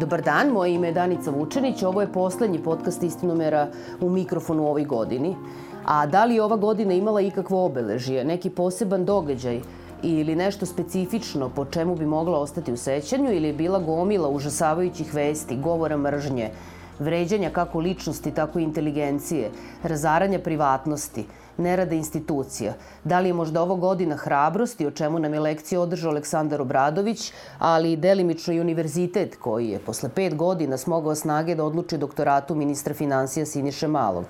Dobar dan, moje ime je Danica Vučenić. Ovo je poslednji podcast Istinomera u mikrofonu u ovoj godini. A da li je ova godina imala ikakvo obeležje, neki poseban događaj ili nešto specifično po čemu bi mogla ostati u sećanju ili je bila gomila užasavajućih vesti, govora mržnje, vređanja kako ličnosti, tako i inteligencije, razaranja privatnosti, nerada institucija? Da li je možda ovo godina hrabrosti, o čemu nam je lekciju održao Aleksandar Obradović, ali i delimično i univerzitet koji je posle 5 godina smogao snage da odluči doktoratu ministra finansija Siniše Malog?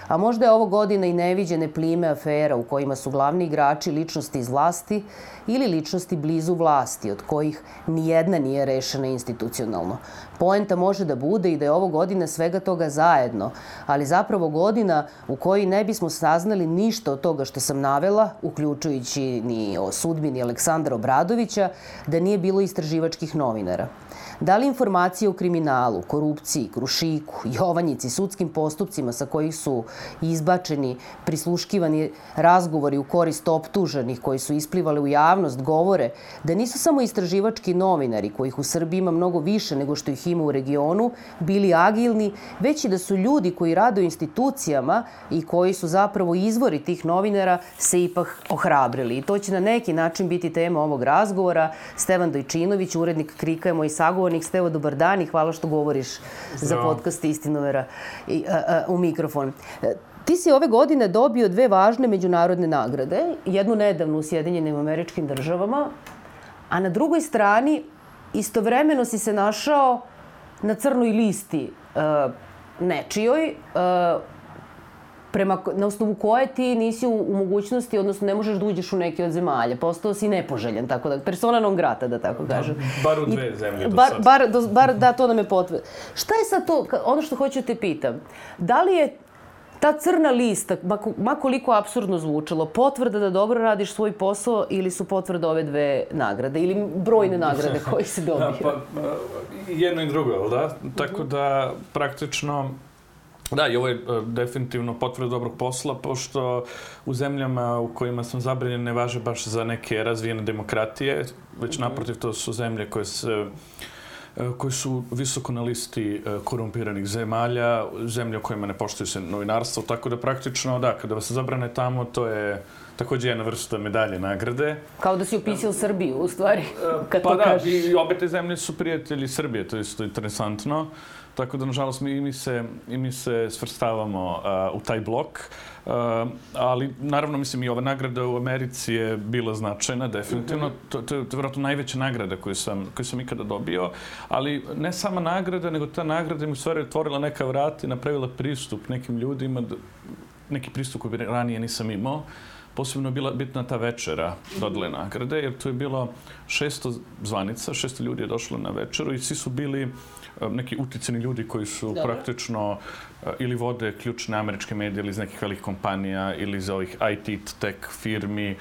A možda je ovo godina i neviđene plime afera u kojima su glavni igrači ličnosti iz vlasti ili ličnosti blizu vlasti, od kojih nijedna nije rešena institucionalno. Poenta može da bude i da je ovo godina svega toga zajedno, ali zapravo godina u kojoj ne bismo saznali ništa od toga što sam navela, uključujući ni o sudbini Aleksandra Obradovića, da nije bilo istraživačkih novinara. Da li informacije o kriminalu, korupciji, Krušiku, Jovanjici, sudskim postupcima sa kojih su izbačeni, prisluškivani razgovori u korist optuženih koji su isplivali u javnost, govore da nisu samo istraživački novinari, kojih u Srbiji ima mnogo više nego što ih ima u regionu, bili agilni, već i da su ljudi koji rade u institucijama i koji su zapravo izvori tih novinara se ipak ohrabrili. I to će na neki način biti tema ovog razgovora. Stevan Dojčinović, urednik Krika, je moj sagovornik. Stevo, dobar dan i hvala što govoriš za podcast Istinomera u mikrofon. Ti si ove godine dobio 2 važne međunarodne nagrade, jednu nedavnu u Sjedinjenim Američkim Državama, a na drugoj strani istovremeno si se našao na crnoj listi nečijoj, na osnovu koje ti nisi u mogućnosti, odnosno ne možeš da uđeš u neki od zemalja. Postao si nepoželjen, tako da, persona non grata, da tako kažem. Bar u 2 zemlje do sad. Bar da, to nam je potvrda. Šta je sad to, ono što hoću da te pitam, da li je ta crna lista, ma koliko apsurdno zvučalo, potvrda da dobro radiš svoj posao ili su potvrda ove 2 nagrade ili brojne nagrade koje si dobio? Jedno i drugo, da? Tako da praktično da, i ovo je definitivno potvrda dobrog posla, pošto u zemljama u kojima sam zabranjen ne važe baš za neke razvijene demokratije, već naprotiv to su zemlje koji su visoko na listi korumpiranih zemalja, zemlje u kojima ne poštuju se novinarstvo, tako da praktično, da, kada vas zabrane tamo, to je također jedna vrsta medalje, nagrade. Kao da si upisao Srbiju, u stvari, kad pa to kažeš. Pa da, i obe te zemlje su prijatelji Srbije, to je isto interesantno. Tako da, nažalost, mi se svrstavamo u taj blok. Ali, naravno, mislim, i ova nagrada u Americi je bila značajna, definitivno. To je vjerojatno najveća nagrada koju sam ikada dobio. Ali ne sama nagrada, nego ta nagrada mi u stvari otvorila neka vrata i napravila pristup nekim ljudima, neki pristup koji ranije nisam imao. Posebno je bila bitna ta večera dodele nagrade, jer tu je bilo 600 zvanica, 600 ljudi je došlo na večeru i svi su bili neki uticani ljudi koji su praktično ili vode ključne američke medije ili iz nekih velikih kompanija ili iz ovih IT tech firmi.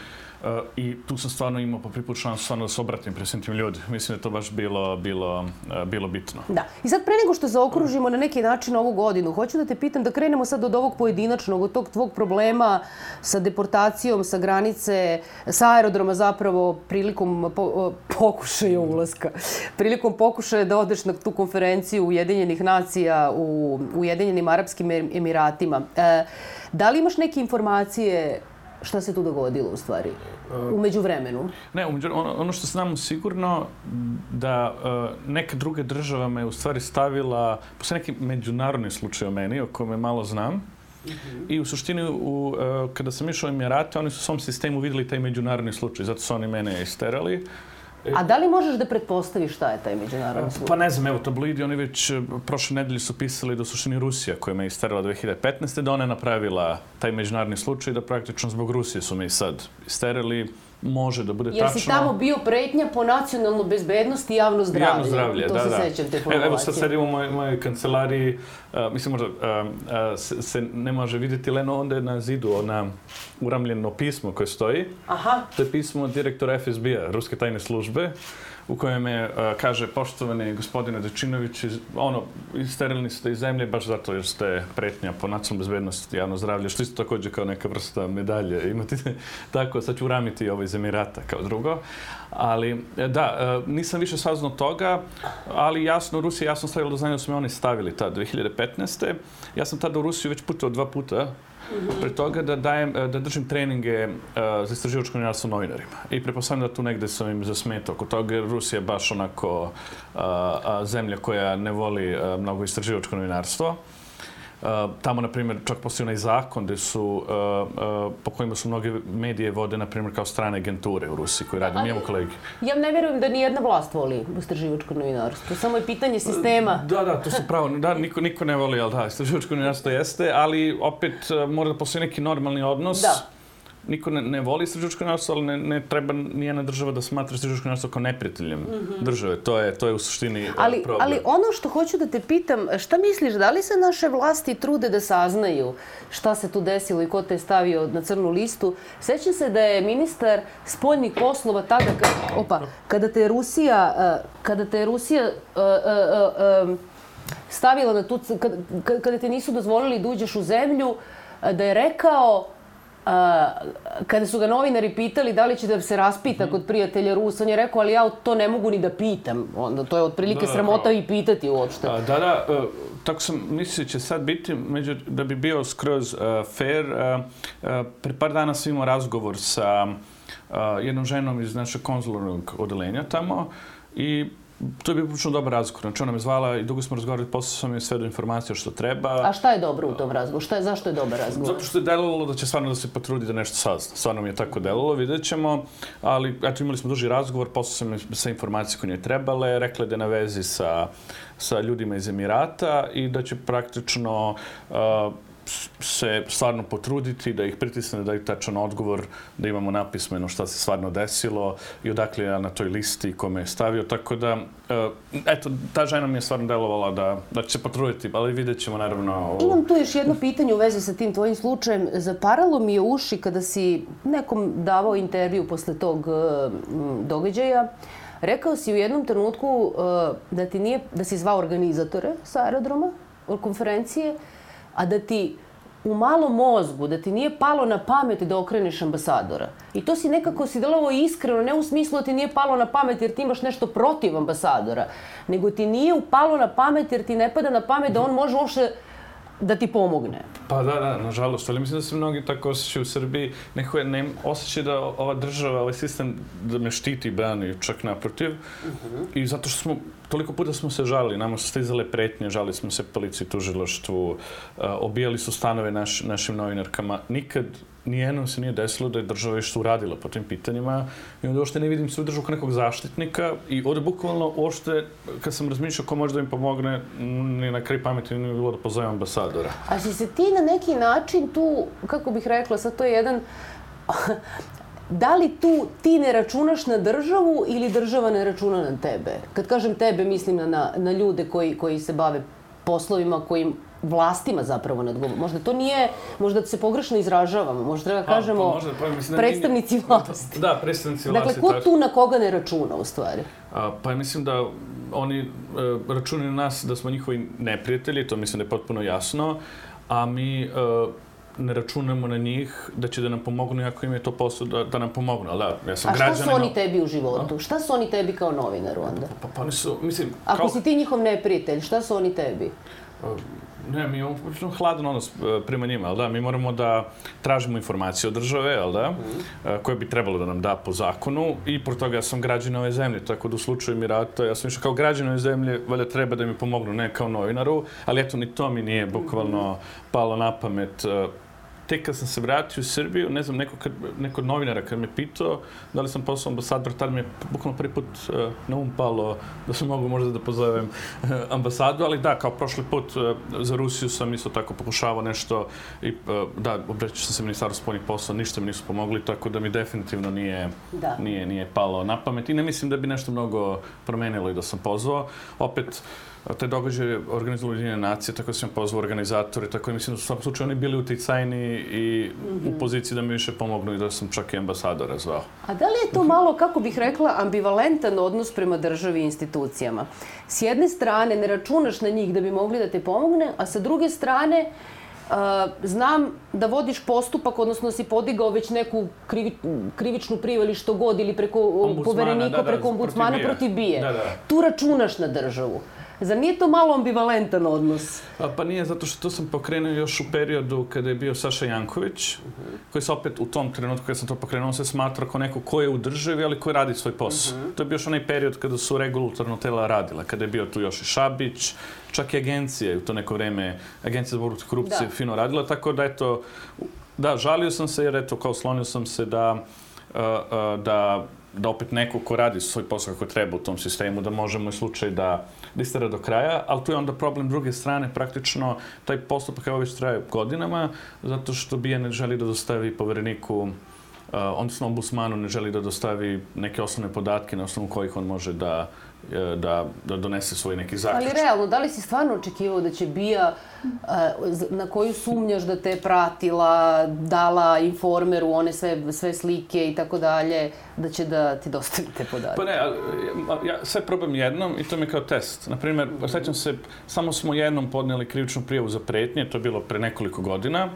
I tu sam stvarno imao po prvi put šansu stvarno da se obratim pred svim tim ljudi. Mislim da je to baš bilo bitno. Da. I sad pre nego što zaokružimo na neki način ovu godinu, hoću da te pitam da krenemo sad od ovog pojedinačnog, od tog tvog problema sa deportacijom, sa granice, sa aerodroma zapravo prilikom pokušaja ulaska. Prilikom pokušaja da odeš na tu konferenciju Ujedinjenih nacija u Ujedinjenim Arapskim Emiratima. Da li imaš neke informacije šta se tu dogodilo u stvari, u međuvremenu? Ne, ono što znamo sigurno da neka druga država me u stvari stavila, posle neki međunarodni slučaj o meni, o kome malo znam, i u suštini kada sam išao u Emirate, oni su u svom sistemu vidjeli taj međunarodni slučaj, zato su oni mene isterali. A da li možeš da pretpostaviš šta je taj međunarodni slučaj? Pa ne znam, evo, tabloidi, oni već prošle nedelje su pisali da u suštini Rusija, koja me isterala 2015. da ona je napravila taj međunarodni slučaj, da praktično zbog Rusije su me i sad isterali. Može da bude tačno. Jer si tamo bio pretnja po nacionalnu bezbednost i javno zdravlje. Javno zdravlje, to se sećam te formulacije. Evo sad sedim u mojoj kancelariji, mislim možda se ne može vidjeti, ali onda je na zidu ona uramljeno pismo koje stoji. Aha. To je pismo direktora FSB-a, Ruske tajne službe, u kojem je, kaže, poštovani gospodine Dečinović, isterilni ste iz zemlje baš zato jer ste pretnja po nacionalnoj bezbednosti, javno zdravlje, što isto također kao neka vrsta medalje. Imate tako, sad ću uramiti ovo iz Emirata kao drugo. Ali, da, nisam više saznao toga, ali jasno, Rusija jasno stavila do znanja da su me oni stavili tad 2015. Ja sam tada u Rusiju već putovao 2 puta, pre toga da držim treninge za istraživačko novinarstvo novinarima. I pretpostavljam da tu negde sam im zasmetao oko toga, jer Rusija je baš onako zemlja koja ne voli mnogo istraživačko novinarstvo. Tamo, na primjer, čak postoji onaj zakon po kojima su mnoge medije vode, na primjer, kao strane agenture u Rusiji koji radi. Mi imamo kolegi. Ja ne vjerujem da nijedna vlast voli istraživačko novinarstvo. Samo je pitanje sistema. Da, to su pravo. Da, niko ne voli, ali da, istraživačko novinarstvo jeste, ali opet mora da postoji neki normalni odnos. Da. Niko ne voli istraživačko novinarstvo, ali ne treba nijedna država da smatra istraživačko novinarstvo kao neprijateljem države. To je u suštini problem. Ali ono što hoću da te pitam, šta misliš, da li se naše vlasti trude da saznaju šta se tu desilo i ko te je stavio na crnu listu? Sećam se da je ministar spoljnih poslova tada, kada te je Rusija stavila na tu, kada te nisu dozvolili da uđeš u zemlju, da je rekao, kada su ga novinari pitali da li će da se raspita kod prijatelja Rusa, on je rekao, ali ja to ne mogu ni da pitam. Onda to je otprilike sramota i pitati uopšte. Da, tako sam mislio će sad biti, da bi bio skroz fair. Pre par dana sam imao razgovor sa jednom ženom iz našeg konzularnog odelenja tamo i to je bio prilično dobar razgovor. Znači ona me zvala i dugo smo razgovarali, posle sam je sve do informacija što treba. A šta je dobro u tom razgovoru? Zašto je dobar razgovor? Zato što je delovalo da će stvarno da se potrudi da nešto sazna. Stvarno mi je tako delovalo, vidjet ćemo. Ali eto, imali smo duži razgovor, posle sam sve informacije koje njoj trebale, rekla da je na vezi sa ljudima iz Emirata i da će praktično se stvarno potruditi, da ih pritisne, da daju tačan odgovor, da imamo napismeno šta se stvarno desilo i odakle je na toj listi kome je stavio. Tako da, eto, ta žena mi je stvarno delovala da će se potruditi, ali vidjet ćemo naravno... Imam tu još jedno pitanje u vezi sa tim tvojim slučajem. Zaparalo mi je uši kada si nekom davao intervju posle tog događaja. Rekao si u jednom trenutku da si zvao organizatore sa aerodroma, konferencije, a da ti u malom mozgu, da ti nije palo na pamet da okreneš ambasadora. I to si nekako si delovao iskreno, ne u smislu da ti nije palo na pamet jer ti imaš nešto protiv ambasadora, nego ti nije upalo na pamet jer ti ne pada na pamet da on može uopšte da ti pomogne. Pa da, nažalost, ali mislim da se mnogi tako osjećaju u Srbiji. Neko je osjećaj da ova država, ovaj sistem da me štiti i brani, čak naprotiv. I zato što toliko puta smo se žalili, nama su stizale pretnje, žalili smo se policiji, tužilaštvu, obijali su stanove našim novinarkama. Nikad nijednom se nije desilo da je država što uradila po tim pitanjima i onda uopšte ne vidim svoju državu kao nekog zaštitnika i ovdje bukvalno uopšte, kad sam razmišljao ko može da im pomogne, ni na kraj pameti nije bilo da pozovem ambasadora. A si se ti na neki način tu, kako bih rekla, sad to je jedan... Da li tu ti ne računaš na državu ili država ne računa na tebe? Kad kažem tebe, mislim na ljude koji se bave poslovima kojim vlastima zapravo nadgovorimo. Možda to nije, možda se pogrešno izražavamo, možda treba kažemo predstavnici vlasti. Da, predstavnici vlasti. Dakle, ko tu na koga ne računa u stvari? Pa mislim da oni računaju na nas da smo njihovi neprijatelji, to mislim da je potpuno jasno, a mi ne računamo na njih da će da nam pomognu, iako im je to posao da nam pomognu. Ali da, ja sam građanin... A šta su oni tebi u životu? Šta su oni tebi kao novinaru onda? Pa oni su, mislim... Ako si ti njihov neprijatelj, šta su oni tebi? Ne, mi imamo hladan odnos prema njima, ali da, mi moramo da tražimo informacije od države, ali da, koje bi trebalo da nam da po zakonu i por toga ja sam građanin ove zemlje, tako da u slučaju Emirata, ja sam išao kao građanin ove zemlje, valjda treba da mi pomognu, ne kao novinaru, ali eto, ni to mi nije bukvalno palo na pamet. Tek kad sam se vratio u Srbiju, ne znam, neko od novinara kad me pitao da li sam postao ambasador, tada mi je bukvalno prvi put na palo da sam mogu možda da pozovem ambasadu, ali da, kao prošli put za Rusiju sam isto tako pokušavao nešto i da, obraćao sam se Ministarstvu spoljnih poslova, ništa mi nisu pomogli, tako da mi definitivno nije palo na pamet i ne mislim da bi nešto mnogo promenilo i da sam pozvao. Opet, te događaje organizovali Ujedinjene nacije, tako da sam pozvao organizatore, tako da mislim da su u svakom slučaju oni bili uticajni i u poziciji da mi više pomognu i da sam čak i ambasadora zvao. A da li je to malo, kako bih rekla, ambivalentan odnos prema državi i institucijama? S jedne strane ne računaš na njih da bi mogli da te pomogne, a sa druge strane znam da vodiš postupak, odnosno si podigao već neku krivičnu prijavu ili što god, ili preko poverenika, preko ombudsmana protiv BIA. Tu računaš na državu. Zar nije to malo ambivalentan odnos? Pa nije, zato što to sam pokrenuo još u periodu kada je bio Saša Janković, koji se opet u tom trenutku kada sam to pokrenuo, on se smatra kao neko ko je u državi, ali koji radi svoj posao. To je bio još onaj period kada su regulatorno tela radila, kada je bio tu još i Šabić, čak i agencije, u to neko vreme, Agencija za borbu protiv korupcije fino radila, tako da eto, da, žalio sam se jer eto, kao slonio sam se da opet neko ko radi svoj posao kako treba u tom sistemu, da može moj slučaj da istera do kraja, ali tu je onda problem druge strane, praktično taj postupak već traje godinama, zato što BIA ne želi da dostavi povereniku, odnosno ombudsmanu ne želi da dostavi neke osnovne podatke na osnovu kojih on može da donese svoj neki zaključak. Ali realno, da li si stvarno očekivao da će BIA, na koju sumnjaš da te je pratila, dala Informeru one sve slike i tako dalje, da će da ti dostavi te podatke? Pa ne, ja sve probam jednom i to mi je kao test. Naprimjer, sećam se, samo smo jednom podnijeli krivičnu prijavu za pretnje, to je bilo pre nekoliko godina,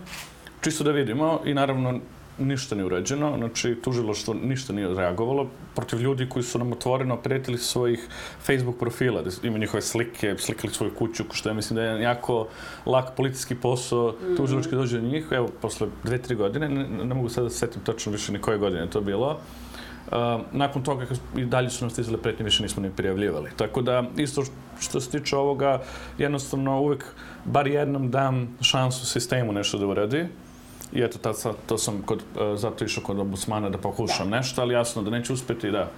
čisto da vidimo i naravno ništa nije urađeno, znači tužilaštvo ništa nije reagovalo protiv ljudi koji su nam otvoreno pretili svojih Facebook profila, da ima njihove slike, slikali svoju kuću, što ja mislim da je jako lak policijski posao, tužilački dođe do njih, evo, posle 2-3 godine, ne mogu sad da se setim tačno više ni koje godine to bilo, nakon toga i dalje su nam stizale pretnje, više nismo ni prijavljivali. Tako da, isto što se tiče ovoga, jednostavno uvek bar jednom dam šansu sistemu nešto da uradi. I eto, to sam zato išao kod ombudsmana da pokušam nešto, ali jasno da neće uspjeti, da.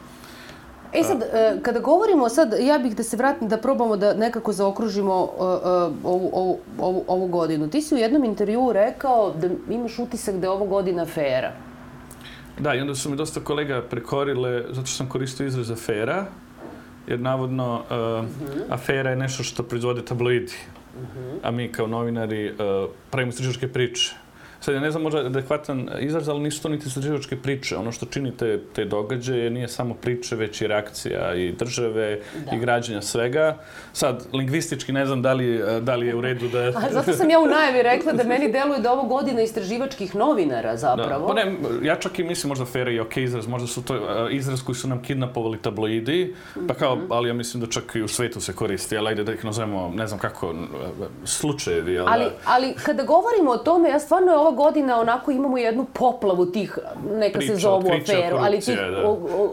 E sad, kada govorimo sad, ja bih da se vratim, da probamo da nekako zaokružimo ovu godinu. Ti si u jednom intervjuu rekao da imaš utisak da je ovo godina afera. Da, i onda su mi dosta kolega prekorile, zato što sam koristio izraz afera, jer navodno afera je nešto što proizvode tabloidi, a mi kao novinari pravimo istraživačke priče. Sad, ja ne znam možda adekvatan izraz, ali nisu to niti istraživačke priče. Ono što čini te događaje nije samo priče, već i reakcija i države i građanja svega. Sad, lingvistički ne znam da li je u redu da... A zato sam ja u najavi rekla da meni deluje da ovo godina istraživačkih novinara zapravo. Pa ne, ja čak i mislim možda afera je okej izraz, možda su to izraz koji su nam kidnapovali tabloidi, pa kao, ali ja mislim da čak i u svetu se koristi, ali ajde da ih nazovemo, ne znam kako, slučajevi. Ali kada govorimo o tome, ja stvarno je ova godina onako imamo jednu poplavu tih, neka se zovu aferu, ali tih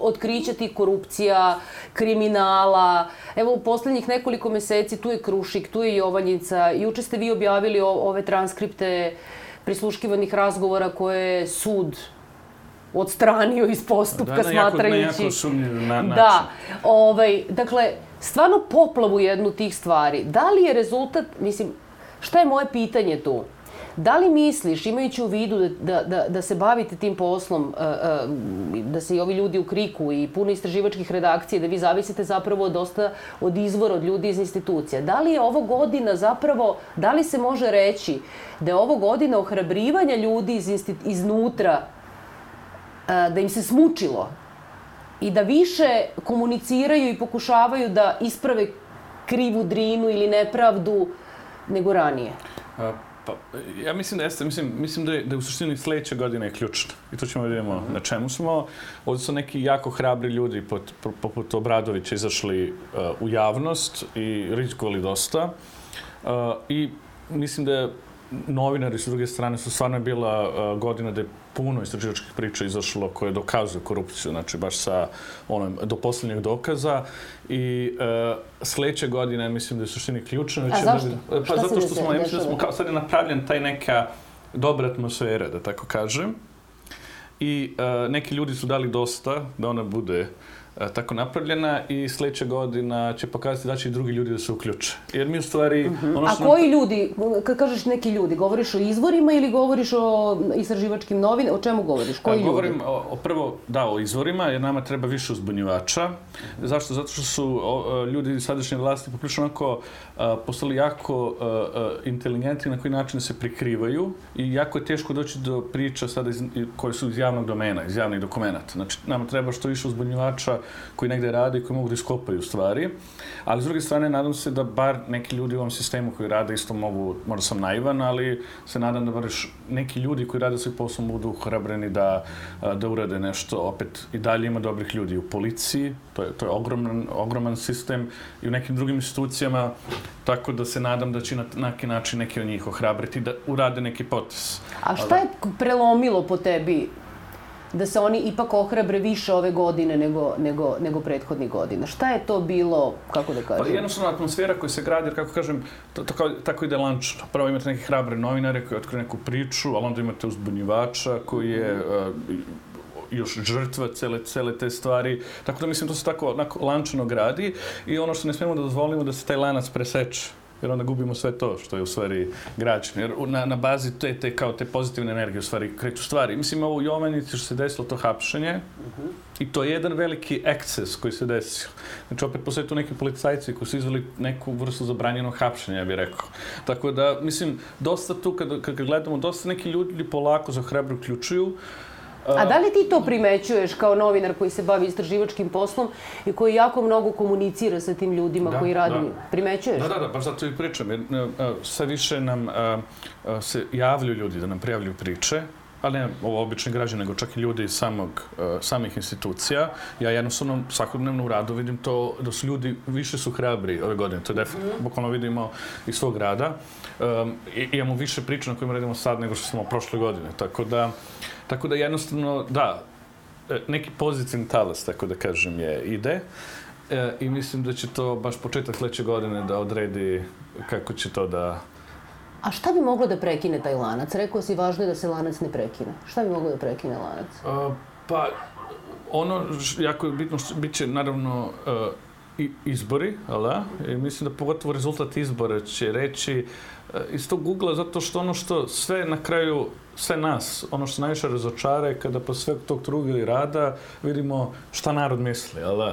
otkrića tih korupcija, kriminala. Evo u posljednjih nekoliko meseci tu je Krušik, tu je Jovanjica. Juče ste vi objavili ove transkripte prisluškivanih razgovora koje je sud odstranio iz postupka smatrajući... Na jako sumnjiv način. Da. Dakle, stvarno poplavu jednu tih stvari. Da li je rezultat, mislim, šta je moje pitanje tu? Da li misliš, imajući u vidu da se bavite tim poslom, da se i ovi ljudi u Kriku i puno istraživačkih redakcija, da vi zavisite zapravo dosta od izvora, od ljudi iz institucija, da li je ovo godina zapravo, da li se može reći da je ovo godina ohrabrivanja ljudi iznutra, da im se smučilo i da više komuniciraju i pokušavaju da isprave krivu drinu ili nepravdu nego ranije? Ja mislim da jeste, mislim da je u suštini sljedeća godina je ključna. I to ćemo vidimo na čemu smo. Ovdje su neki jako hrabri ljudi poput Obradovića izašli u javnost i rizikovali dosta. I mislim da novinari s druge strane su stvarno bila godina da je puno istraživačkih priča izašlo koje dokazuju korupciju, znači baš do posljednjeg dokaza. I sljedeće godine mislim da je u suštini ključno. A zašto? Pa zato što smo, ja mislim da smo sad je napravljen taj neka dobra atmosfera, da tako kažem. I neki ljudi su dali dosta da ona bude tako napravljena i sljedeća godina će pokazati da će i drugi ljudi da se uključe. Jer mi u stvari... A koji ljudi, kad kažeš neki ljudi, govoriš o izvorima ili govoriš o istraživačkim novinama? O čemu govoriš? Koji ljudi? Govorim o izvorima, jer nama treba više uzbunjivača. Zašto? Zato što su ljudi iz sadašnje vlasti poprilično onako postali jako inteligentni na koji način se prikrivaju i jako je teško doći do priča sada koje su iz javnog domena, iz javnih dokumenata. Znači, nama treba što više uzbunjivača koji negde rade i koji mogu da iskopaju stvari. Ali s druge strane, nadam se da bar neki ljudi u ovom sistemu koji rade isto mogu, možda sam naivan, ali se nadam da bar neki ljudi koji rade svoj posao budu hrabreni da urade nešto. Opet i dalje ima dobrih ljudi u policiji, to je ogroman sistem i u nekim drugim institucijama, tako da se nadam da će na neki način neki od njih ohrabriti da urade neki potez. A šta je prelomilo po tebi da se oni ipak ohrabre više ove godine nego prethodnih godina? Šta je to bilo, kako da kažem? Pa jednostavno atmosfera koja se gradi, jer kako kažem, tako ide lančno. Prvo imate neke hrabre novinare koji otkriju neku priču, ali onda imate uzbunjivača koji je još žrtva cele te stvari. Tako da mislim, to se tako lančano gradi i ono što ne smijemo da dozvolimo da se taj lanac preseče. Jer onda gubimo sve to što je u stvari građeno. Jer na bazi te pozitivne energije u stvari kreću stvari. Mislim, ovo u Jovanici što se desilo to hapšenje i to je jedan veliki eksces koji se desio. Znači, opet postoje tu neki policajci koji su izveli neku vrstu zabranjenog hapšenja, ja bih rekao. Tako da, mislim, dosta tu, kad gledamo, dosta neki ljudi polako za hrabro uključuju. A da li ti to primećuješ kao novinar koji se bavi istraživačkim poslom i koji jako mnogo komunicira sa tim ljudima koji radi? Primećuješ? Da, baš zato i pričam. Jer sve više nam se javljaju ljudi da nam prijavljuju priče, ali ne ovo obični građani, nego čak i ljudi iz samih institucija. Ja jednostavno svakodnevno u radu vidim to da su ljudi više su hrabri ove godine. To je definitivno, bukvalno vidimo iz svog rada. Imamo više priča na kojima radimo sad nego što smo prošle godine. Tako da jednostavno, da, neki pozitivni talas, tako da kažem, ide i mislim da će to baš početak sljedeće godine da odredi kako će to da... A šta bi moglo da prekine taj lanac? Rekao si, važno je da se lanac ne prekine. Šta bi moglo da prekine lanac? Pa, ono jako je bitno, bit će naravno izbori, ali i mislim da pogotovo rezultat izbora će reći iz tog ugla, zato što ono što sve na kraju, sve nas, ono što najviše razočara je kada posle sveg tog truga i rada vidimo šta narod misli, ali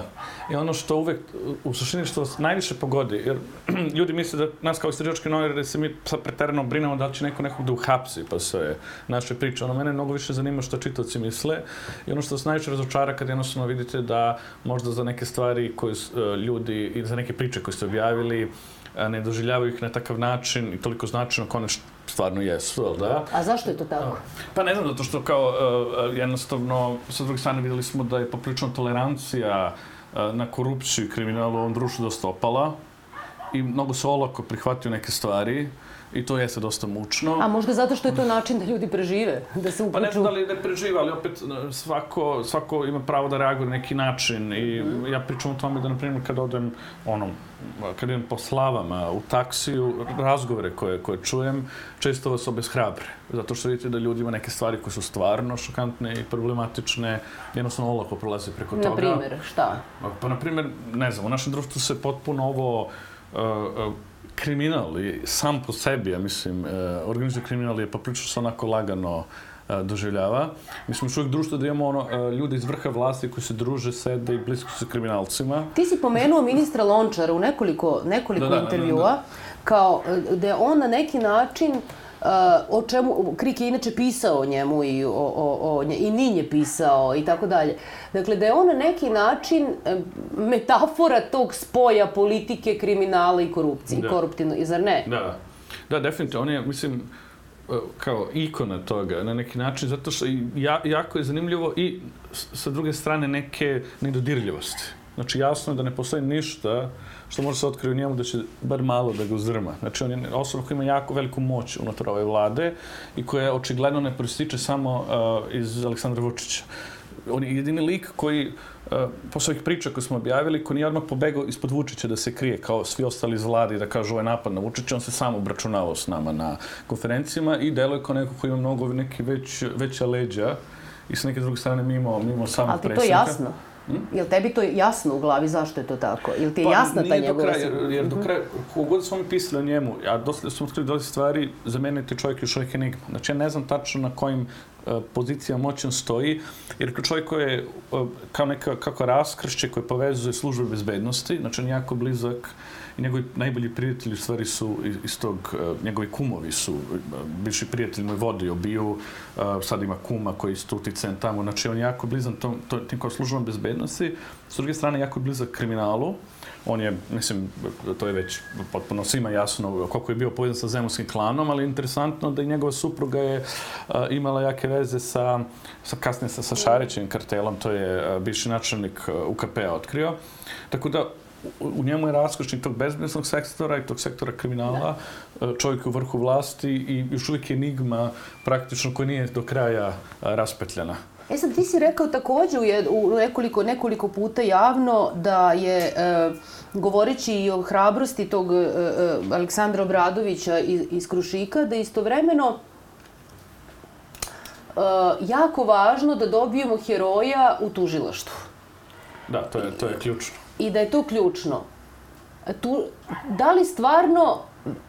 i ono što uvek, u suštini što vas najviše pogodi, jer ljudi misle da nas kao istraživački novinari da se mi sad preterano brinemo da li će neko nekog da uhapsi, pa sve naše priče. Ono, mene mnogo više zanima što čitaoci misle i ono što vas najviše razočara kad jednostavno vidite da možda za neke stvari koje ljudi i za neke priče koje ste objavili ne doživljavaju ih na takav način i toliko značajno kao nešto stvarno jesu, ali da? A zašto je to tako? Pa ne znam, zato što kao jednostavno, sa druge strane vidjeli smo da je poprilično tolerancija na korupciju i kriminalu u ovom društvu dosta opala i mnogo se olako prihvatio neke stvari i to jeste dosta mučno. A možda zato što je to način da ljudi prežive, da se uključu? Pa ne znam da li ne prežive, ali opet svako ima pravo da reaguje na neki način i ja pričam o tome da, na primjer, kad idem po slavama u taksiju, razgovore koje čujem, često vas obeshrabre. Zato što vidite da ljudi ima neke stvari koje su stvarno šokantne i problematične, jednostavno olako prolaze preko toga. Na primjer, šta? Pa, na primjer, ne znam, u našem društvu se potpuno ovo kriminal i sam po sebi, ja mislim, organizovani kriminal je poprilično se onako lagano doživljava. Mi smo još uvijek društvo da imamo ljude iz vrha vlasti koji se druže, sede i blisko sa kriminalcima. Ti si pomenuo ministra Lončara u nekoliko intervjua, kao da je on na neki način o čemu Krik je inače pisao o njemu i Nin je pisao i tako dalje. Dakle, da je on na neki način metafora tog spoja politike, kriminala i korupcije. Koruptivno, zar ne? Da, definitivno. On je, mislim, kao ikona toga na neki način, zato što jako je zanimljivo i sa druge strane neke nedodirljivosti. Znači, jasno je da ne postoji ništa što može se otkriti u njemu da će bar malo da ga uzdrma. Znači, on je osoba koja ima jako veliku moć unutar ove vlade i koja očigledno ne proističe samo iz Aleksandra Vučića. On je jedini lik koji, posle ovih priča koje smo objavili, koji nije odmah pobegao ispod Vučića da se krije kao svi ostali iz vlade i da kažu ovo je napad na Vučića, on se sam obračunavao s nama na konferencijama i deluje kao neko koji ima mnogo neki veća leđa i sa neke druge strane mimo samog predsjednika. Ali ti to jasno? Jel tebi to jasno u glavi zašto je to tako? Jel ti je jasna ta njegova... Jer do kraja, kogod smo mi pisali o njemu, a dosta smo otkrili dosta stvari, za mene je čovjek još uvijek enigma. Znači, ja ne znam tačno na kojim pozicijama moćan stoji, jer čovjek koji je kao kako raskršće koje povezuje službe bezbednosti, znači on je jako blizak i njegovi najbolji prijatelji u stvari su iz tog, njegovi kumovi su, bivši prijatelji moj vode obiju, sad ima kuma koji je isto uticajan tamo, znači on je jako blizan tim kao službama bezbednosti, s druge strane jako je blizak kriminalu. On je, mislim, to je već potpuno svima jasno koliko je bio povezan sa zemunskim klanom, ali je interesantno da i njegova supruga je imala jake veze kasnije sa Šarićevim kartelom, to je bivši načelnik UKP-a otkrio. Tako da u njemu je raskošnik tog bezbednosnog sektora i tog sektora kriminala, čovjek u vrhu vlasti i još uvijek je enigma praktično koja nije do kraja raspetljana. Sad, ti si rekao također u nekoliko puta javno da je, govoreći i o hrabrosti tog Aleksandra Obradovića iz Krušika, da je istovremeno jako važno da dobijemo heroja u tužilaštvu. Da, to je ključno. I da je to ključno. Da li stvarno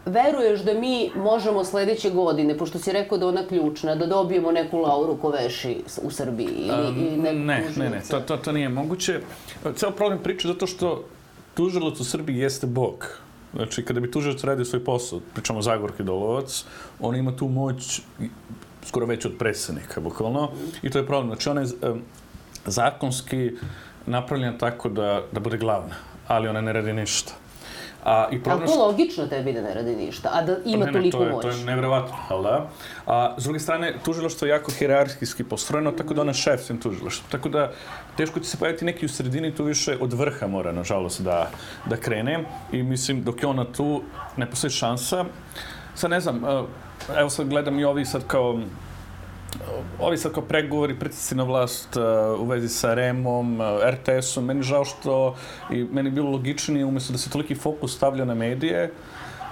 veruješ da mi možemo sljedeće godine, pošto si rekao da ona ključna, da dobijemo neku Lauru Koveši u Srbiji? Ne, to nije moguće. Ceo problem priče zato što tužilac u Srbiji jeste Bog. Znači, kada bi tužilac radio svoj posao, pričamo Zagorki Dolovac, on ima tu moć skoro već od predsjednika, bukvalno. I to je problem. Znači, ona je zakonski napravljena tako da bude glavna, ali ona ne radi ništa. Ali to logično tebi da ne radi ništa, a da ima toliko moć. To je nevjerovatno, ali da. A s druge strane, tužilaštvo je jako hijerarhijski postrojeno, tako da ona je šef svim tužilaštvom. Tako da teško će se pojaviti neki u sredini, tu više od vrha mora, nažalost, da krene. I mislim, dok je ona tu, ne postoji šansa. Sad ne znam, evo sad gledam i ovi sad kao pregovori, pritisci na vlast u vezi sa REM-om, RTS-om. Meni žao što i meni bilo logičnije, umjesto da se toliki fokus stavlja na medije,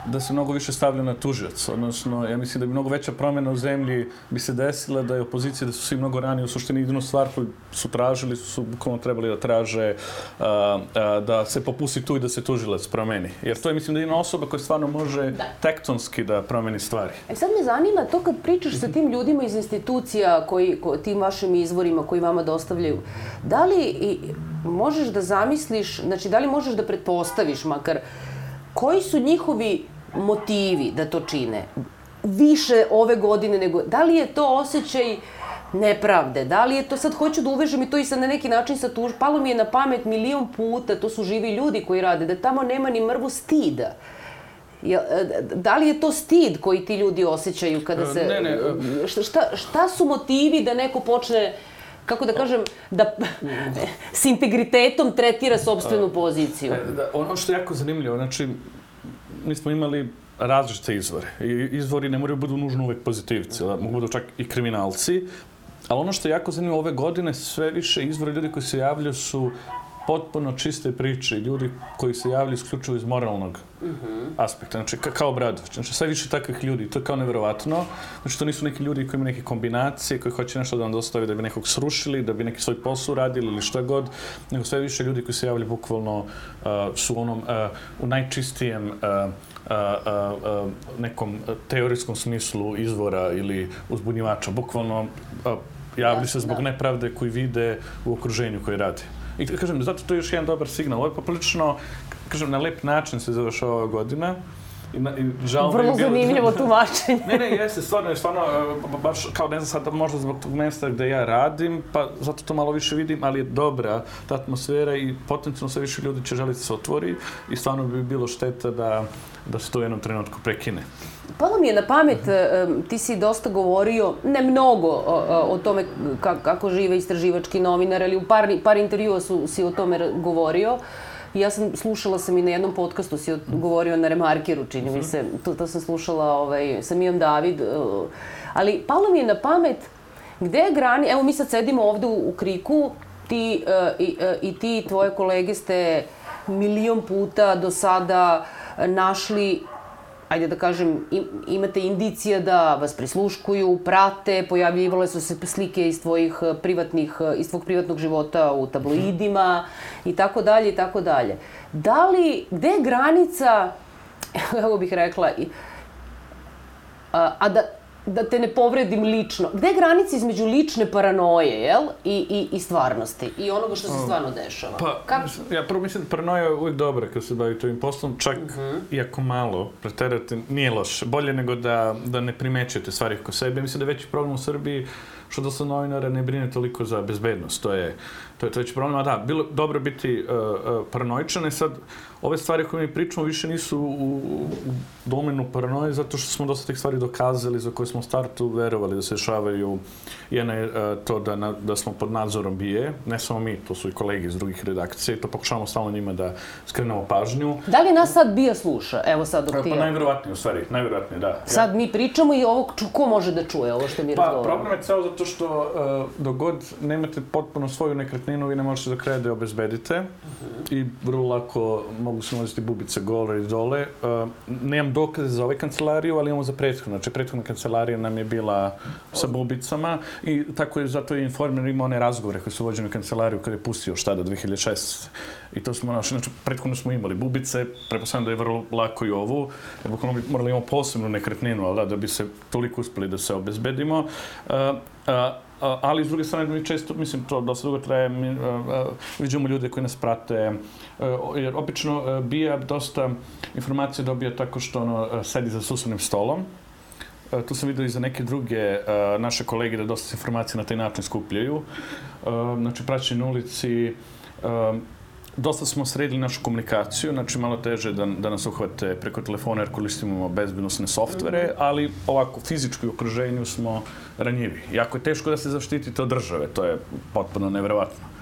da se mnogo više stavlja na tužioca. Odnosno, ja mislim da bi mnogo veća promjena u zemlji bi se desila da je opozicija, da su svi mnogo ranije u suštini jedinu stvar koju su tražili, su bukvalno trebali da traže da se popusti tu i da se tužilac promeni. Jer to je, mislim, da je jedna osoba koja stvarno može tektonski da promeni stvari. Sad me zanima to kad pričaš sa tim ljudima iz institucija, tim vašim izvorima koji vama dostavljaju, da li možeš da zamisliš, znači da li možeš da pretpostaviš makar koji su njihovi motivi da to čine? Više ove godine nego... Da li je to osjećaj nepravde? Da li je to... Sad hoću da uvežem i to i sad na neki način sa tuž... Palo mi je na pamet milion puta, to su živi ljudi koji rade, da tamo nema ni mrvu stida. Da li je to stid koji ti ljudi osjećaju kada se... Ne. Šta su motivi da neko počne, kako da kažem, da s integritetom tretira sopstvenu poziciju? Ono što je jako zanimljivo, znači, mi smo imali različite izvore. Izvori ne moraju budu nužno uvek pozitivci, mogu budu čak i kriminalci. Ali ono što je jako zanimljivo ove godine, sve više izvori ljudi koji se javljaju su potpuno čiste priče. Ljudi koji se javljaju isključivo iz moralnog aspekta. Znači, kao Obradović. Znači, sve više takvih ljudi. To je kao nevjerovatno. Znači, to nisu neki ljudi koji imaju neke kombinacije, koji hoće nešto da vam dostavi da bi nekog srušili, da bi neki svoj posao radili ili šta god. Nego sve više ljudi koji se javljaju bukvalno su u najčistijem nekom teorijskom smislu izvora ili uzbunjivača. Bukvalno javljaju se zbog nepravde koju vide u okruženju koji radi. I kažem, zato to je još jedan dobar signal. Ovo je poprilično, kažem, na lep način se završava ova godina. Vrlo zanimljivo tumačenje. Ne, jeste, stvarno, baš kao ne znam sad, možda zbog tog mjesta gde ja radim, pa zato to malo više vidim, ali je dobra ta atmosfera i potencijalno sve više ljudi će želiti se otvori i stvarno bi bilo šteta da se to u jednom trenutku prekine. Palo mi je na pamet, ti si dosta govorio, ne mnogo o tome kako žive istraživački novinar, ali u par intervjua si o tome govorio. Ja slušala sam i na jednom podcastu si govorio na Remarkeru, čini mi se, to sam slušala sa Mijom David, ali palo mi je na pamet gde je grani, evo mi sad sedimo ovde u Kriku, ti i tvoje kolege ste milion puta do sada našli ajde da kažem, imate indicija da vas prisluškuju, prate, pojavljivale su se slike iz tvog privatnog života u tabloidima i tako dalje i tako dalje. Gde je granica, kako bih rekla, a da te ne povredim lično, gde je granica između lične paranoje, jel? I stvarnosti i onoga što se stvarno dešava? Ja prvo mislim da paranoja je uvijek dobra kad se bavi ovim poslom, čak iako malo preterate, nije loše. Bolje nego da ne primećujete stvari oko sebe. Mislim da je veći problem u Srbiji što dosta novinara ne brine toliko za bezbednost. To je veći problem. A da, bilo dobro biti paranoičan. Sad, ove stvari koje mi pričamo više nisu u domenu paranoje, zato što smo dosta tih stvari dokazali za koje smo u startu verovali da se dešavaju. Jedna je to da smo pod nadzorom BIA, ne samo mi, to su i kolegi iz drugih redakcija i to pokušavamo stalno njima da skrenemo pažnju. Da li nas sad BIA sluša? Evo sad dok ti je. Pa najverovatnije u stvari, najverovatnije, da. Sad mi pričamo i ovo, ko može da čuje ovo što mi razgovaramo? Pa problem je ceo zato što dok god nemate potpuno svoju nekretninu, vi ne možete do kraja da je obezbedite i vrlo lako mogu se nalaziti bubice gore i dole. Nemam dokaze za ovaj kancelariju, ali imamo za prethodnu. Znači, prethodna kancelarija nam je bila sa bubicama i tako je zato je informer imao one razgovore koji su vođeni u kancelariju kada je pustio šta da 2006. I to smo našli. Znači, prethodno smo imali bubice, pretpostavljam da je vrlo lako i ovu. Bukvalno bi morali imamo posebnu nekretninu, ali da bi se toliko uspeli da se obezbedimo. Ali s druge strane mi često, mislim, to dosta dugo traje, vidimo ljude koji nas prate, jer obično BIA dosta informacije dobija tako što sedi za susednim stolom. Tu sam vidio i za neke druge naše kolege da dosta informacije na taj način skupljaju. Znači, praćenje na ulici, dosta smo sredili našu komunikaciju, znači malo teže da nas uhvate preko telefona jer koristimo bezbednosne softvere, ali ovako fizički u okruženju smo ranjivi. Jako je teško da se zaštitite od države, to je potpuno neverovatno.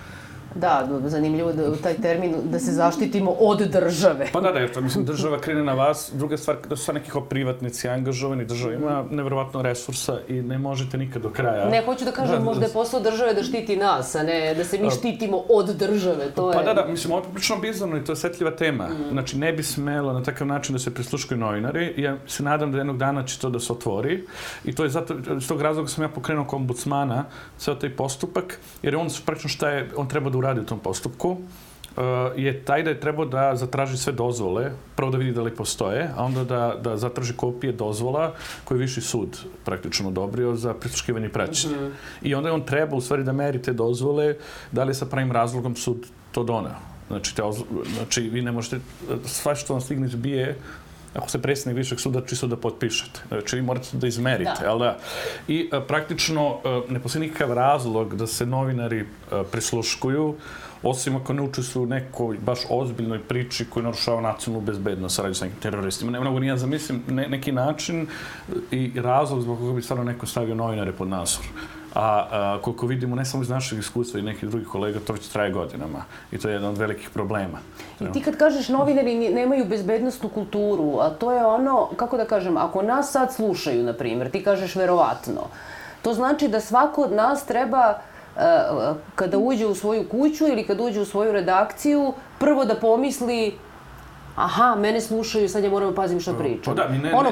Da, zanimljivo da taj termin da se zaštitimo od države. Pa da, jer to mislim država krene na vas. Druga stvar, da su sad neki privatnici angažovani, država ima neverovatno resursa i ne možete nikad do kraja. Ne, hoću da kažem, možda je posao države da štiti nas, a ne da se mi štitimo od države. Pa da, mislim, ovo je poprično bizarno i to je osetljiva tema. Znači, ne bi smelo na takav način da se prisluškuju novinari. Ja se nadam da jednog dana će to da se otvori i to je zato, iz tog razloga sam ja pokrenuo kao ombudsmana ceo taj postupak, jer on praktično šta je, on treba da uradi u tom postupku, je taj da je trebao da zatraži sve dozvole, prvo da vidi da li postoje, a onda da zatraži kopije dozvola koje je Viši sud praktično odobrio za prisluškivanje i praćenje. I onda je on treba u stvari da meri te dozvole, da li sa pravim razlogom sud to doneo. Znači, vi ne možete, sva što vam stigne iz BIA, ako ste predsjednik Višeg suda, čisto da potpišete. Znači, vi morate da izmerite, jel da? I praktično ne postoji nikakav razlog da se novinari prisluškuju, osim ako ne učestvuju u nekoj baš ozbiljnoj priči koja narušava nacionalnu bezbednost, radi sa nekim teroristima. Ne mogu ni ja zamislim neki način i razlog zbog koga bi stvarno neko stavio novinare pod nadzor. A koliko vidimo, ne samo iz našeg iskustva i nekih drugih kolega, to već traje godinama. I to je jedan od velikih problema. I ti kad kažeš novinari nemaju bezbednostnu kulturu, a to je ono, kako da kažem, ako nas sad slušaju, na primjer, ti kažeš verovatno, to znači da svako od nas treba kada uđe u svoju kuću ili kada uđe u svoju redakciju, prvo da pomisli aha, mene slušaju, sad ja moram da pazim što pričam.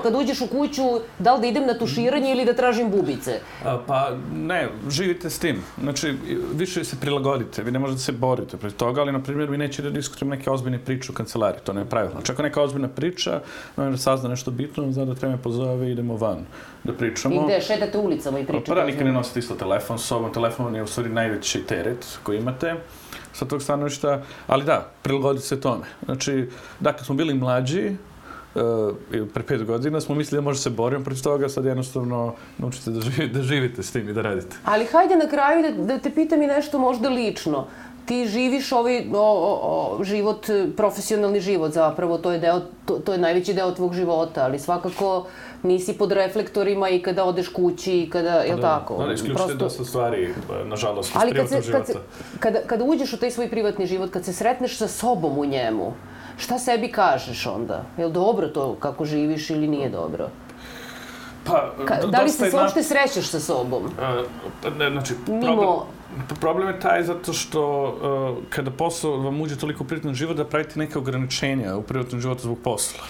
Kad uđeš u kuću, da li da idem na tuširanje ili da tražim bubice? Pa ne, živite s tim. Znači, više se prilagodite, vi ne možete se boriti protiv toga, ali, na primjer, vi nećete da diskutujemo neke ozbiljne priče u kancelariji, to ne je pravilno. Čak neka ozbiljna priča, novinar sazna nešto bitno, zna da treba me pozove i idemo van da pričamo. I gde, šetate ulicama i pričate? Pa da, nikad ne nosite isto telefon s sobom. Telefon je u stvari najveći teret koji imate sa tog stanovišta, ali da, prilagoditi se tome. Znači, da, kad smo bili mlađi, pre 5 godina, smo mislili da možete se boriti protiv toga, sad jednostavno naučite da živite s tim i da radite. Ali hajde na kraju da te pitam i nešto možda lično. Ti živiš ovaj život, profesionalni život zapravo, to je najveći deo tvog života, ali svakako nisi pod reflektorima i kada odeš kući i kada, je li tako? Da, isključite dosta stvari, nažalost, iz privatnog života. Kada uđeš u taj svoj privatni život, kad se sretneš sa sobom u njemu, šta sebi kažeš onda? Je li dobro to kako živiš ili nije dobro? Da li se uopšte srećeš sa sobom? Znači, problem je taj zato što kada posao vam uđe toliko u privatni život da pravite neke ograničenja u privatnom životu zbog posla.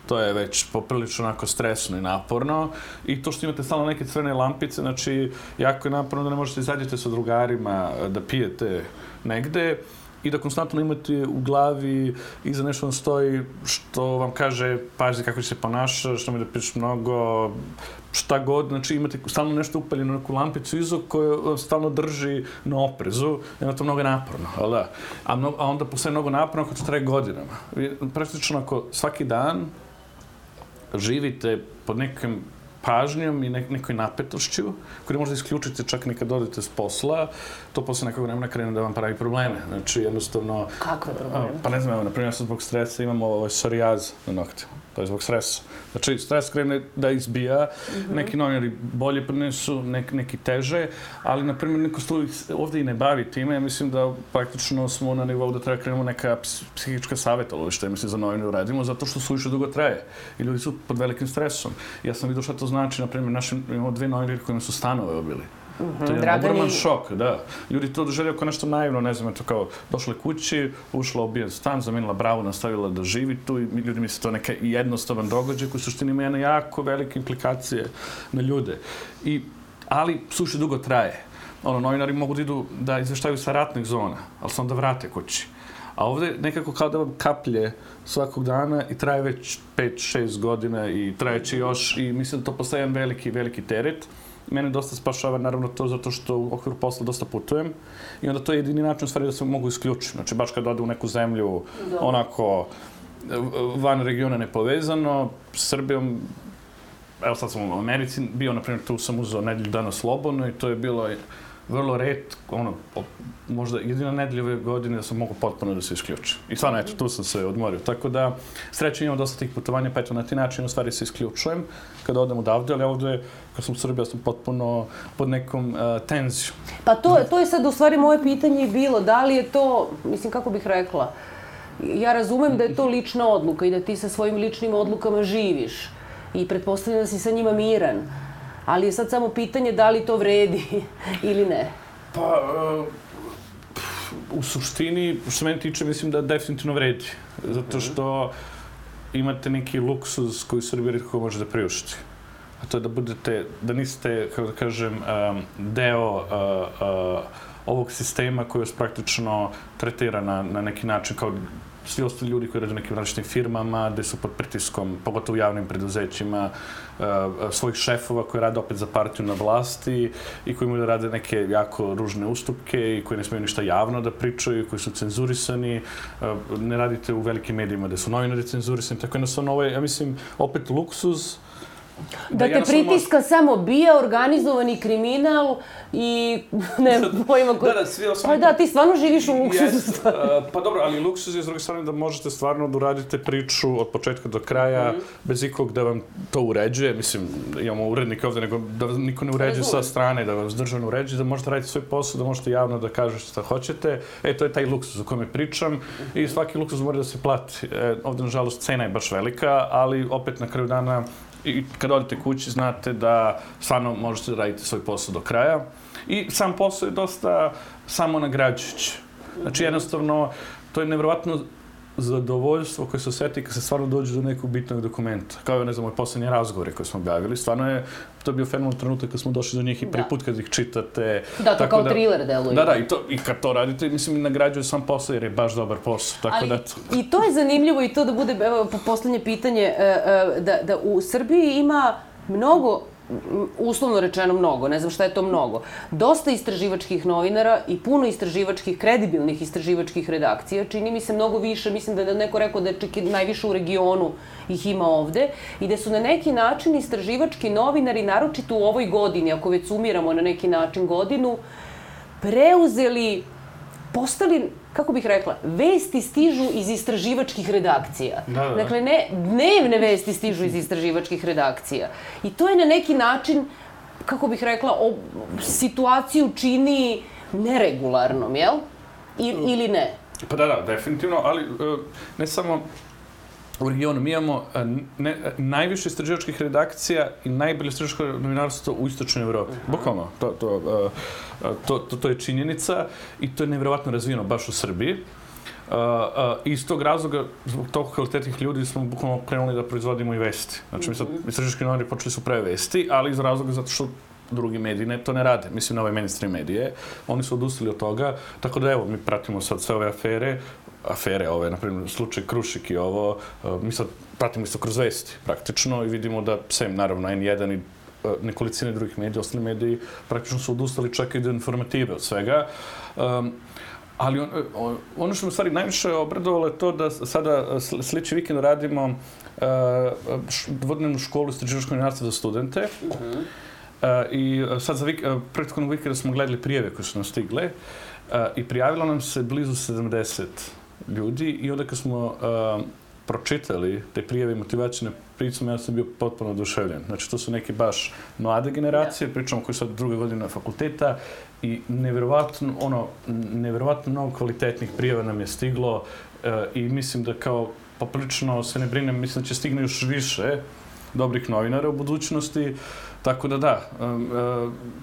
To je već poprilično onako stresno i naporno. I to što imate stalno neke crvene lampice, znači jako je naporno da ne možete izađete sa drugarima, da pijete negde i da konstantno imate u glavi iza nešto vam stoji što vam kaže pazi kako se ponašaš, što mi da pričaš mnogo, šta god, znači imate stalno nešto upaljeno, neku lampicu iza koja stalno drži na oprezu i onda to mnogo naporno, ali da. A onda postaje mnogo naporno ako to traje godinama. Praktično ako svaki dan živite pod nekim pažnjom i nekoj napetošću, koju ne možda isključite čak ni kad odete s posla, to posle nekog vremena krene da vam pravi probleme. Znači, jednostavno... Kakve probleme? Pa ne znam, evo, na primjer, zbog stresa imamo psorijaz na noktima. To je zbog stresa. Znači, stres krene da izbija, neki novinari bolje prenesu, neki teže, ali, na primjer, neko se ovdje i ne bavi time. Ja mislim da praktično smo na nivou da treba krenemo neka psihička savjetovališta, mislim, za novinare uradimo, zato što suviše dugo traje. I ljudi su pod velikim stresom. Ja sam vidio šta to znači, na primjer, imamo 2 novinari kojima su stanove obili. To je jedan ogroman šok, da. Ljudi to doživljaju kao nešto naivno, ne znam, eto kao došla kući, ušla ubijen stan, zamenila bravu, nastavila da živi tu i ljudi misle to neka jednostavan događaj koji u suštini ima jedne jako velike implikacije na ljude. Ali suviše dugo traje. Novinari mogu da idu da izveštaju sa ratnih zona, ali se onda vrate kući. A ovdje nekako kao da vam kaplje svakog dana i traje već 5-6 godina i trajeće još i mislim da to postaje jedan veliki teret. Mene dosta spašava naravno to zato što u okviru posla dosta putujem i onda to je jedini način u stvari da se mogu isključiti. Znači baš kad ode u neku zemlju onako van regiona nepovezano, s Srbijom, evo sad sam u Americi bio, na primjer tu sam uzeo nedelju dana slobodno i to je bilo vrlo retko, možda jedina nedelja ove godine da sam mogu potpuno da se isključim. I stvarno, eto, tu sam se odmorio. Tako da, srećno imam dosta tih putovanja, pa eto, na ti način u stvari se isključujem kada odem odavde, ali ovdje, kad sam u Srbiji, ja sam potpuno pod nekom tenzijom. Pa to je sad u stvari moje pitanje i bilo. Da li je to, mislim, kako bih rekla, ja razumem da je to lična odluka i da ti sa svojim ličnim odlukama živiš i pretpostavljam da si sa njima miran. Ali je sad samo pitanje da li to vredi ili ne. Pa, u suštini, što se meni tiče, mislim da definitivno vredi. Zato što imate neki luksuz koji Srbija rijetko može da priušti. A to je da niste, kako da kažem, deo ovog sistema koji vas praktično tretira na neki način kao svi ostali ljudi koji rade u nekim različitim firmama, gde su pod pritiskom, pogotovo u javnim preduzećima, svojih šefova koji rade opet za partiju na vlasti i koji imaju da rade neke jako ružne ustupke i koji ne smiju ništa javno da pričaju, koji su cenzurisani. Ne radite u velikim medijima gde su novinari cenzurisani, tako jednostavno ovo je, ja mislim, opet luksuz. Da te pritiska samo bija, organizovani kriminal i ne pojma koji... Pa da, ti stvarno živiš u luksuzu. Pa dobro, ali luksuz je s druge strane da možete stvarno da uradite priču od početka do kraja, bez ikog da vam to uređuje. Mislim, imamo urednike ovdje, nego da niko ne uređuje sa strane, da vas državno uređuje, da možete raditi svoj posao, da možete javno da kažete šta hoćete. To je taj luksuz o kome pričam i svaki luksuz mora da se plati. Ovdje, nažalost, cena je baš velika, ali opet na kraju dana i kad odete kući, znate da stvarno možete da radite svoj posao do kraja. I sam posao je dosta samonagrađujući. Znači, jednostavno, to je nevjerovatno zadovoljstvo koje se osjeti kad se stvarno dođe do nekog bitnog dokumenta. Kao je, ne znam, moj posljednji razgovore koje smo objavili. Stvarno je, to je bio fenomenalni trenutak kad smo došli do njih i prvi put kad ih čitate. Da, to kao thriller deluje. Da, i kad to radite, mislim, nagrađuje sam posao jer je baš dobar posao. Tako da, i to je zanimljivo i to da bude, evo, posljednje pitanje, da u Srbiji ima mnogo, uslovno rečeno mnogo, ne znam šta je to mnogo, dosta istraživačkih novinara i puno istraživačkih, kredibilnih istraživačkih redakcija. Čini mi se mnogo više, mislim da je neko rekao da je čak i najviše u regionu ih ima ovde i da su na neki način istraživački novinari, naročito u ovoj godini, ako već sumiramo na neki način godinu, preuzeli, postali, kako bih rekla, vesti stižu iz istraživačkih redakcija. Dakle, dnevne vesti stižu iz istraživačkih redakcija. I to je na neki način, kako bih rekla, situaciju čini neregularnom, jel? Ili ne? Pa da, definitivno, ali ne samo u regionu. Mi imamo najviše istraživačkih redakcija i najbolje istraživačko novinarstvo u istočnoj Evropi. Bukvalno, to je činjenica i to je nevjerovatno razvijeno baš u Srbiji. Iz tog razloga, zbog toliko kvalitetnih ljudi, smo bukvalno krenuli da proizvodimo i vesti. Znači, mi sad, istraživački novinari počeli su pre vesti, ali iz razloga zato što drugi mediji to ne rade. Mislim, na ove mainstream medije. Oni su odustali od toga. Tako da, evo, mi pratimo sad sve ove afere ove, na primjer, slučaj Krušik i ovo. Mi sad pratimo isto kroz vesti, praktično, i vidimo da, sem, naravno, N1 i nekolicine drugih medija, ostali mediji, praktično su odustali čak i do informative od svega. Ali ono što me u stvari najviše obradovalo je to da sada sljedeći vikend radimo dvodnevnu školu istraživačkog novinarstva za studente. I sad za prethodnog vikenda smo gledali prijave koje su nam stigle i prijavilo nam se blizu 70 ljudi i onda kad smo pročitali te prijave i motivacijne pričamo, ja sam bio potpuno oduševljen. Znači, to su neke baš mlade generacije, pričamo koji su sad druge godine fakulteta i nevjerovatno mnogo kvalitetnih prijava nam je stiglo i mislim da kao poprilično se ne brinem, mislim da će stigne još više dobrih novinara u budućnosti. Tako da,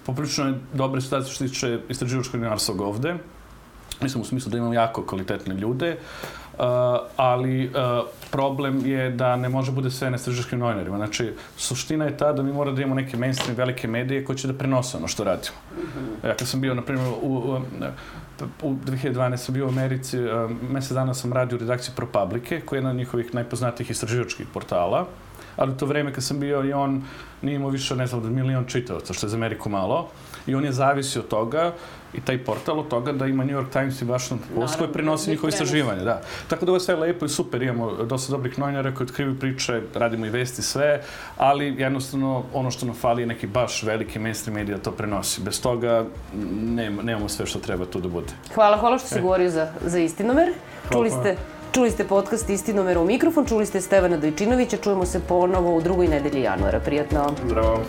poprilično je dobra situacija što se tiče istraživačkog novinarstva ovde. Mislim u smislu da imamo jako kvalitetne ljude, ali problem je da ne može bude sve na istraživačkim novinarima. Znači, suština je ta da mi mora da imamo neke mainstream velike medije koji će da prenose ono što radimo. Ja kad sam bio, na primjer, u 2012 sam bio u Americi, mesec dana sam radio u redakciji ProPublice, koja je jedna od njihovih najpoznatijih istraživačkih portala. Ali u to vreme kad sam bio i on nije imao više, ne znam, od 1 milion čitavaca, što je za Ameriku malo. I on je zavisio od toga, i taj portal od toga da ima New York Times i Washington Post koji prenosi njihove istraživanje. Da. Tako da ovo je sve lepo i super, imamo dosta dobrih novinara koji otkrivaju priče, radimo i vesti, sve, ali jednostavno ono što nam fali je neki baš veliki mainstream medija to prenosi. Bez toga nemamo sve što treba tu da bude. Hvala što si govorio za Istinomer. Čuli ste podcast Istinomer u mikrofon, čuli ste Stevana Dojčinovića, čujemo se ponovo u drugoj nedelji januara. Prijatno! Zdravo!